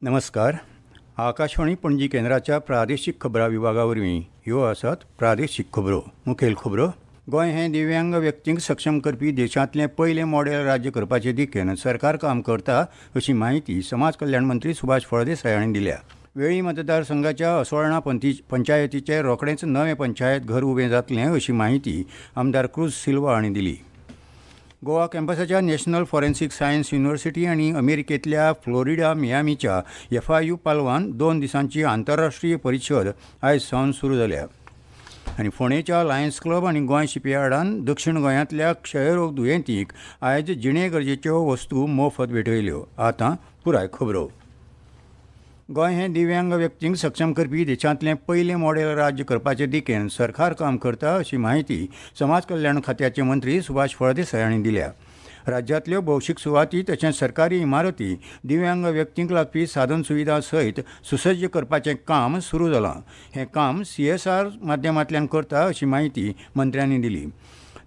नमस्कार. आकाशवाणी पणजी केंद्राच्या प्रादेशीक खबरां विभागा वरवीं ह्यो आसात प्रादेशीक खबरो. मुखेल खबरो. गोंय हें दिव्यांग व्यक्तींक सक्षम करपी देशांतलें पयलें मॉडेल राज्य करपाचे दिकेन सरकार काम करता अशी म्हायती समाज कल्याण मंत्री सुभाष फळदेसाय हांणी दिल्या. वेळी मतदारसंघाच्या असोळणा पंचायतीचे रोखडेंच नवें पंचायत घर उबें जातलें अशी म्हायती आमदार क्रूज सिल्वा हांणी दिली. गोवा कॅम्पसाच्या नॅशनल फॉरेन्सिक सायन्स युनिव्हर्सिटी आनी अमेरिकेंतल्या फ्लोरिडा मियामीच्या एफआययू पालवान 2 दिसांची आंतरराष्ट्रीय परिशद आयज सावन सुरू जाल्या. आनी फोंडेच्या लायन्स क्लब आनी गोंय शिपयार्डान दक्षिण गोंयांतल्या क्षयरोग दुयेंतींक आयज जिणे गरजेच्यो वस्तू मोफत भेटयल्यो. आतां पुराय खबरो. गोंय हें दिव्यांग व्यक्तींक सक्षम करपी देशांतलें पयलें मॉडेल राज्य करपाचे दिकेन सरकार काम करता अशी म्हायती समाज कल्याण खात्याचे मंत्री सुभाष फळदेसाय हांणी दिल्या. राज्यांतल्यो भौशीक सुवाती तशेंच सरकारी इमारती दिव्यांग व्यक्तींक लागपी साधन सुविधा सयत सुसज्ज करपाचें काम सुरू जालां. हें काम सीएसआर माध्यमांतल्यान करता अशी म्हायती मंत्र्यांनी दिली.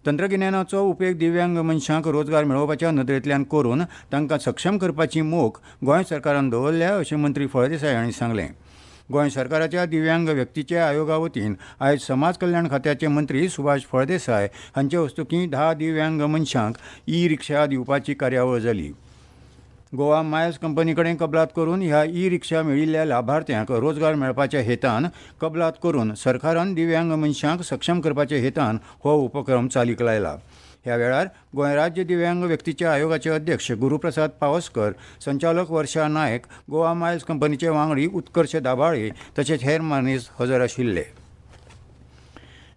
तंत्रगिन्यानाचो उपेग दिव्यांग मनशांक रोजगार मेळोवपाच्या नदरेंतल्यान करून तांकां सक्षम करपाची मोख गोंय सरकारान दवरल्या अशें मंत्री फळदेसाय हांणी सांगलें. गोंय सरकाराच्या दिव्यांग व्यक्तीच्या आयोगा वतीन आयज समाज कल्याण खात्याचे मंत्री सुभाष फळदेसाय हांचे हस्तुकीं 10 दिव्यांग मनशांक ई रिक्षा दिवपाची कार्यावळ जाली. गोवा मायल्स कंपनी कडेन कबलात करून ह्या ई रिक्षा मेळिल्ल्या लाभार्थ्यांक रोजगार मेळपाच्या हेतान कबलात करून सरकारान दिव्यांग मनशांक सक्षम करपाच्या हेतान हो उपक्रम चालीक लायला. ह्या वेळार गोंय राज्य दिव्यांग व्यक्तीच्या आयोगाचे अध्यक्ष गुरुप्रसाद पावसकर, संचालक वर्षा नायक, गोवा मायल्स कंपनीचे वांगडी उत्कर्ष दाभाळे तशेंच हेर मानेस्त हजर आशिल्ले.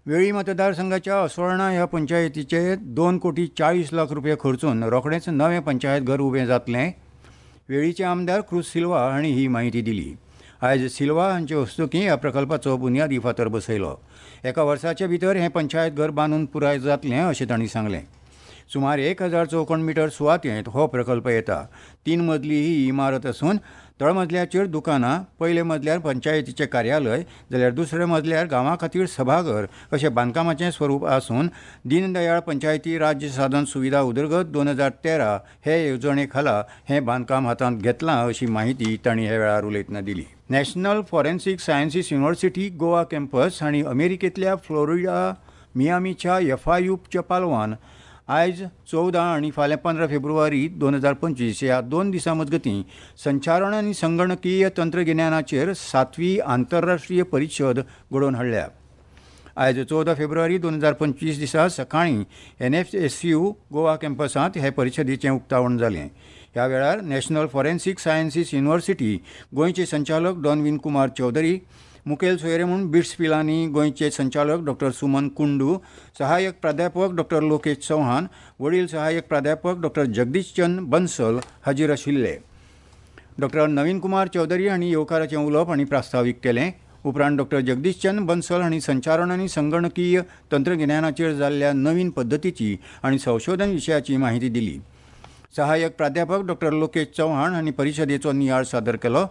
वेळी मतदारसंघाच्या असोळणा ह्या पंचायतीचे 2,40,00,000 रुपये खर्चून रोखडेंच नवें पंचायत घर उबें जातलें. वेळीचे आमदार क्रूज सिल्वा हांणी ही म्हायती दिली. आयज सिल्वा हांचे हस्तुकीं ह्या प्रकल्पाचो बुन्यादी फातर बसयलो. एका वर्साचे भितर हें पंचायत घर बांदून पुराय जातलें अशें तांणी सांगलें. सुमार 1000 चौखण मिटर सुवातेंत हो प्रकल्प येता. 3 मजली ही इमारत आसून तळमजल्याचेर दुकानां, पयल्या मजल्यार पंचायतीचें कार्यालय जाल्यार दुसऱ्या मजल्यार गांवा खातीर सभाघर अशें बांदकामाचें स्वरूप आसून दीनदयाळ पंचायती राज्य साधन सुविधा उदरगत 2013 हे येवजणे खाला हें बांदकाम हातांत घेतलां अशी म्हायती तांणी ह्या वेळार उलयतना दिली. National forensic sciences university Goa campus आनी अमेरिकेंतल्या फ्लोरिडा मियामीच्या एफआययूच्या पालवान आयज 14 आनी फाल्यां 15 फेब्रुवारी 2025 ह्या 2 दिसां मजगतीं संचारण आनी संगणकीय तंत्रगिन्यानाचेर 7वी आंतरराष्ट्रीय परिशद घडोवन हाडल्या. आयज 14 फेब्रुवारी 2025 दिसा सकाळीं एनएफएसयू गोवा कॅम्पसांत हे परिशदेचें उक्तावण जालें. ह्या वेळार नॅशनल फॉरेन्सिक सायन्सीस युनिव्हर्सिटी गोंयचे संचालक डॉनविन कुमार चौधरी, मुखेल सोयरे म्हूण बिट्स पिलानी गोंयचे संचालक डॉक्टर सुमन कुंडू, सहाय्यक प्राध्यापक डॉक्टर लोकेश चौहान, वडील सहाय्यक प्राध्यापक डॉक्टर जगदीश चंद बन्सल हाजीर आशिल्ले. डॉक्टर नवीन कुमार चौधरी हांणी येवकाराचें उलोवप आनी प्रास्तावीक केलें. उपरांत डॉक्टर जगदीश चंद बन्सल हांणी संचारण आनी संगणकीय तंत्रगिन्यानाचेर जाल्ल्या नवीन पद्दतीची आनी संशोधन विशयाची म्हायती दिली. सहाय्यक प्राध्यापक डॉक्टर लोकेश चौहान हांणी परिशदेचो नियाळ सादर केलो.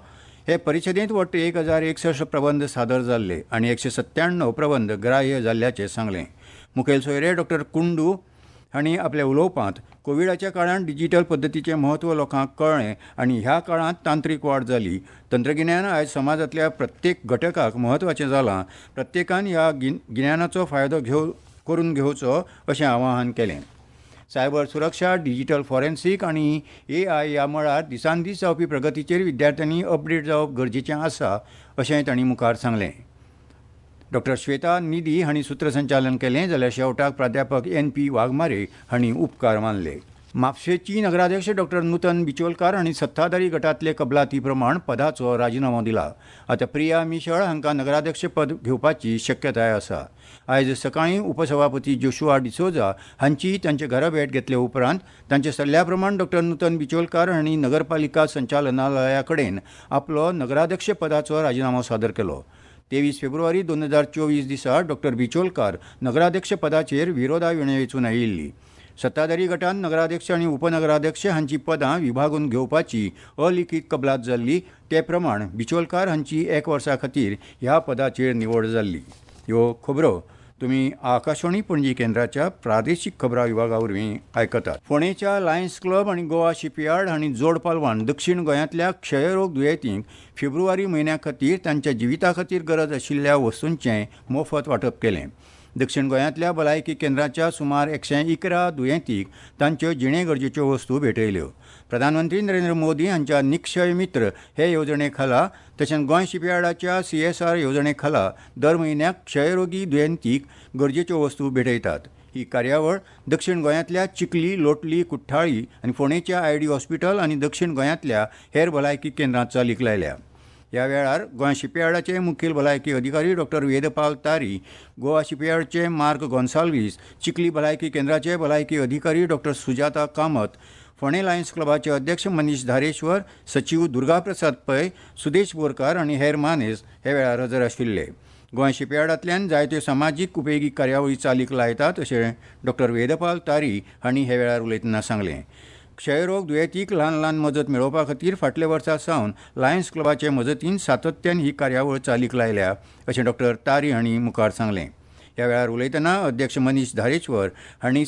हे परिशदेंत वट्ट 1061 प्रबंध सादर जाल्ले आनी 197 प्रबंध ग्राह्य जाल्ल्याचें सांगलें. मुखेल सोयरे डॉक्टर कुंडू हांणी आपल्या उलोवपांत कोविडाच्या काळांत डिजिटल पद्दतीचें म्हत्व लोकांक कळ्ळें आनी ह्या काळांत तांत्रीक वाड जाली. तंत्रगिन्यान आयज समाजांतल्या प्रत्येक घटकाक म्हत्वाचें जालां. प्रत्येकान ह्या गिन्यानाचो फायदो करून घेवचो अशें आवाहन केलें. सायबर सुरक्षा, डिजिटल फॉरेन्सिक आनी एआय ह्या मळार दिसान दीस जावपी प्रगतीचेर विद्यार्थ्यांनी अपडेट जावप गरजेचें आसा अशेंय तांणी मुखार सांगलें. डॉक्टर श्वेता निधी हांणी सूत्रसंचालन केलें जाल्यार शेवटाक प्राध्यापक एन पी वाघमारे हांणी उपकार मानले. म्हापशेची नगराध्यक्ष डॉक्टर नूतन बिचोलकार हांणी सत्ताधारी गटांतले कबलाती प्रमाण पदाचो राजिनामो दिला. आतां प्रिया मिशळ हांकां नगराध्यक्ष पद घेवपाची शक्यताय आसा. आयज सकाळीं उपसभापती जोशुआ डिसोजा हांची तांचे घरा भेट घेतले उपरांत तांच्या सल्ल्या प्रमाण डॉक्टर नूतन बिचोलकार हांणी नगरपालिका संचालनालया कडेन आपलो नगराध्यक्ष पदाचो राजिनामो सादर केलो. 23 फेब्रुवारी 2024 दिसा डॉक्टर बिचोलकार नगराध्यक्ष पदाचेर विरोधा विणें वेंचून आयिल्ली. सत्ताधारी गटान नगराध्यक्ष आनी उपनगराध्यक्ष हांची पदां विभागून घेवपाची अलिखीत कबलात जाल्ली. ते प्रमाण बिचोलकार हांची 1 वर्सा खातीर ह्या पदाचेर निवड जाल्ली. ह्यो खबरो तुमी आकाशवाणी पणजी केंद्राच्या प्रादेशीक खबरां विभागा वरवीं आयकतात. फोंडेच्या लायन्स क्लब आनी गोवा शिपयार्ड हांणी जोड पालवान दक्षिण गोंयांतल्या क्षयरोग दुयेंतींक फेब्रुवारी म्हयन्या खातीर तांच्या जिविता खातीर गरज आशिल्ल्या वस्तूंचें मोफत वांटप केलें. दक्षिण गोंयांतल्या भलायकी केंद्राच्या सुमार 111 दुयेंतींक तांच्यो जिणे गरजेच्यो वस्तू भेटयल्यो. प्रधानमंत्री नरेंद्र मोदी हांच्या निक्षय मित्र हे येवजणे खाला तशेंच गोंय शिपयार्डाच्या CSR येवजणे खाला दर म्हयन्याक क्षयरोगी दुयेंतीक गरजेच्यो वस्तू भेटयतात. ही कार्यावळ दक्षिण गोंयांतल्या चिखली, लोटली, कुठ्ठाळी आनी फोंडेच्या ID hospital आनी दक्षिण गोंयांतल्या हेर भलायकी केंद्रांत चालीक लायल्या. ह्या वेळार गोंय शिपयार्डाचे मुखेल भलायकी अधिकारी डॉक्टर वेदपाल तारी, गोवा शिपयार्डचे मार्क गोन्साल्वीस, चिखली भलायकी केंद्राचे भलायकी अधिकारी डॉक्टर सुजाता कामत, फोंडें लायन्स क्लबाचे अध्यक्ष मनीष धारेश्वर, सचीव दुर्गाप्रसाद पै, सुदेश बोरकार आनी हेर मानेस हे वेळार हजर आशिल्ले. गोंय शिपयार्डांतल्यान जायत्यो समाजीक उपेगी कार्यावळी चालीक लायतात अशें डॉक्टर वेदपाल तारी हांणी हे वेळार उलयतना सांगलें. क्षयरोग दुयेंतीक ल्हान ल्हान मजत मेळोवपा खातीर फाटल्या वर्सा सावन लायन्स क्लबाचे मजतीन सातत्यान ही कार्यावळ चालीक लायल्या अशें डॉक्टर तारी हांणी मुखार सांगलें. ह्या वेळार उलयतना अध्यक्ष मनीष धारेश्वर हांणी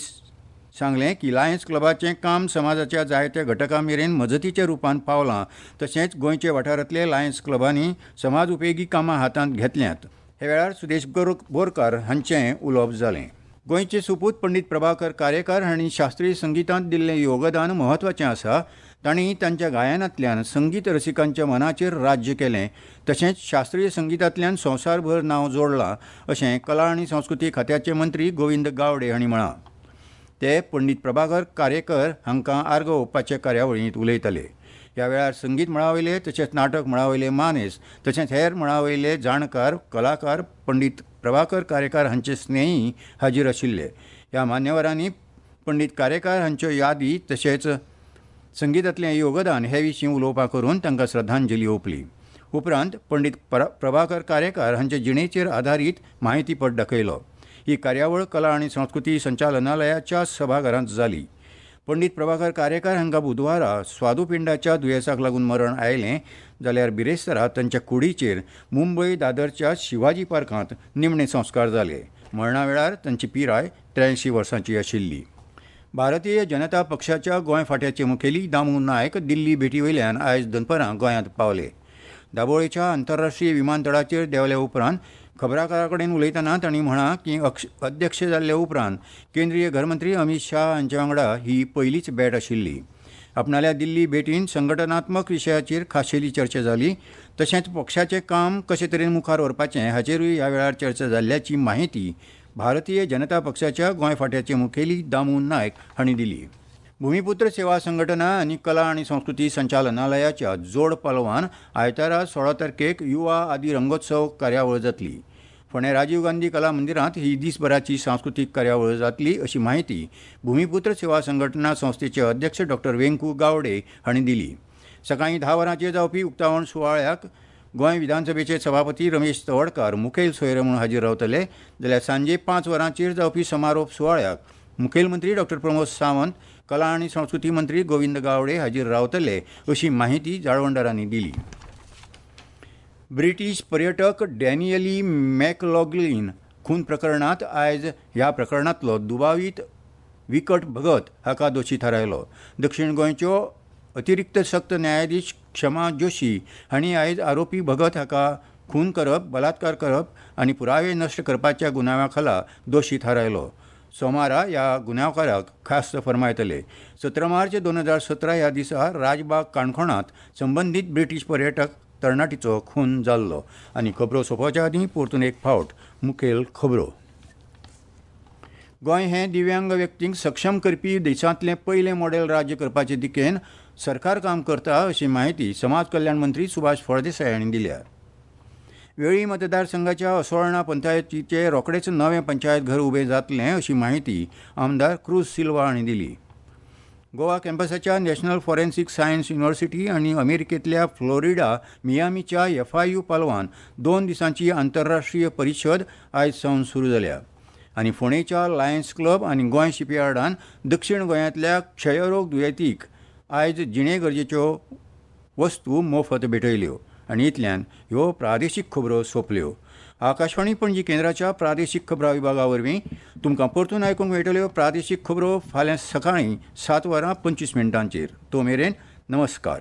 सांगलें की लायन्स क्लबाचें काम समाजाच्या जायत्या घटकां मेरेन मजतीच्या रुपान पावलां, तशेंच गोंयच्या वाठारांतले लायन्स क्लबांनी समाज उपेगी कामां हातांत घेतल्यांत. ह्या वेळार सुदेश बोरकार हांचें उलोवप जालें. गोंयचे सुपूत पंडित प्रभाकर कारेकार हांणी शास्त्रीय संगितांत दिल्लें योगदान म्हत्वाचें आसा. तांणी तांच्या गायनांतल्यान संगीत रसिकांच्या मनाचेर राज्य केलें, तशेंच शास्त्रीय संगितांतल्यान संवसारभर नांव जोडलां अशें कला आनी संस्कृती खात्याचे मंत्री गोविंद गावडे हांणी म्हळां. ते पंडित प्रभाकर कारेकर हांकां आर्गां ओंपपाचे कार्यावळींत उलयताले. ह्या वेळार संगीत मळावयले तशेंच नाटक मळावयले मानेस तशेंच हेर मळावयले जाणकार, कलाकार पंडित प्रभाकर कारेकार हांचे स्नेही हाजीर आशिल्ले. ह्या मान्यवरांनी पंडित कारेकार हांच्यो यादी तशेंच संगितांतलें योगदान हे विशीं उलोवपां करून तांकां श्रद्धांजली ओंपली. उपरांत पंडित प्रभाकर कारेकार हांचे जिणेचेर आदारीत म्हायतीपट दाखयलो. ही कार्यावळ कला आनी संस्कृती संचालनालयाच्या सभाघरांत जाली. पंडित प्रभाकर कारेकार हांकां बुधवारा स्वादुपिंडाच्या दुयेंसाक लागून मरण आयलें, जाल्यार बिरेस्तारा तांच्या कुडीचेर मुंबय दादरच्या शिवाजी पार्कांत निमणे संस्कार जाले. मरणा वेळार तांची पिराय 83 वर्सांची आशिल्ली. भारतीय जनता पक्षाच्या गोंय फांट्याचे मुखेली दामू नायक दिल्ली भेटी वयल्यान आयज दनपरां गोंयांत पावले. दाबोळेच्या आंतरराष्ट्रीय विमानतळाचेर देंवल्या उपरांत खबराकारा कडेन उलयतना तांणी म्हळां की अध्यक्ष जाल्ले उपरांत केंद्रीय घरमंत्री अमित शाह हांचे वांगडा ही पयलीच भेट आशिल्ली. आपणाल्या दिल्ली भेटीन संघटनात्मक विशयाचेर खाशेली चर्चा जाली, तशेंच पक्षाचें काम कशे तरेन मुखार व्हरपाचें हाचेरूय ह्या वेळार चर्चा जाल्ल्याची माहिती भारतीय जनता पक्षाच्या गोंय फांट्याचे मुखेली दामू नायक हांणी दिली. भूमिपुत्र सेवा संघटना आनी कला आनी संस्कृती संचालनालयाच्या जोड पालवान आयतारा 16 तारखेक युवा आदी रंगोत्सव कार्यावळ जातली. फोंडें राजीव गांधी कला मंदिरांत ही दीसभराची सांस्कृतीक कार्यावळ जातली अशी माहिती भूमिपुत्र सेवा संघटना संस्थेचे अध्यक्ष डॉक्टर वेंकू गावडे हांणी दिली. सकाळीं 10 वरांचेर जावपी उक्तावण सुवाळ्याक गोंय विधानसभेचे सभापती रमेश तवडकार मुखेल सोयरे म्हणून हाजीर रावतले, जाल्यार सांजे 5 वरांचेर जावपी समारोप सुवाळ्याक मुखेलमंत्री डॉक्टर प्रमोद सावंत, कला आनी संस्कृती मंत्री गोविंद गावडे हाजीर रावतले अशी माहिती जाळवणदारांनी दिली. ब्रिटीश पर्यटक डॅनियली मॅकलॉगलीन खून प्रकरणांत आयज ह्या प्रकरणांतलो दुबावीत विकट भगत हाका दोशी थारायलो. दक्षिण गोंयच्यो अतिरिक्त सक्त न्यायाधीश क्षमा जोशी हांणी आयज आरोपी भगत हाका खून करप, बलात्कार करप आनी पुरावे नश्ट करपाच्या गुन्यांवा खाला दोशी थारायलो. सोमारा ह्या गुन्यांवकाराक ख्यास्त फर्मायतले. 17 मार्च 2017 ह्या दिसा राजबाग काणकोणांत संबंदीत ब्रिटीश पर्यटक तरणाटीचो खून जाल्लो. आनी खबरो सोंपोवच्या आदीं परतून एक फावट मुखेल खबरो. गोंय हें दिव्यांग व्यक्तींक सक्षम करपी देशांतलें पयलें मॉडेल राज्य करपाचे दिकेन सरकार काम करता अशी माहिती समाज कल्याण मंत्री सुभाष फळदेसाय हांणी दिल्या. वेळी मतदारसंघाच्या असोळणा पंचायतीचे रोखडेच नवें पंचायत घर उबें जातलें अशी माहिती आमदार क्रूज सिल्वा हांणी दिली. गोवा कॅम्पसाच्या नॅशनल फॉरेन्सिक सायन्स युनिव्हर्सिटी आनी अमेरिकेंतल्या फ्लोरिडा मियामीच्या FIU पालवान 2 दिसांची आंतरराष्ट्रीय परिशद आयज सावन सुरू जाल्या. आनी फोंडेच्या लायन्स क्लब आनी गोंय शिपयार्डान दक्षिण गोंयांतल्या क्षयरोग दुयेंतीक आयज जिणे गरजेच्यो वस्तू मोफत भेटयल्यो. आनी इतल्यान ह्यो प्रादेशीक खबरो सोंपल्यो. आकाशवाणी पणजी केंद्राच्या प्रादेशीक खबरां विभागा वरवीं तुमकां परतून आयकूंक मेळटल्यो प्रादेशीक खबरो फाल्यां सकाळीं 7 वरां 25 मिनटांचेर. तो मेरेन नमस्कार.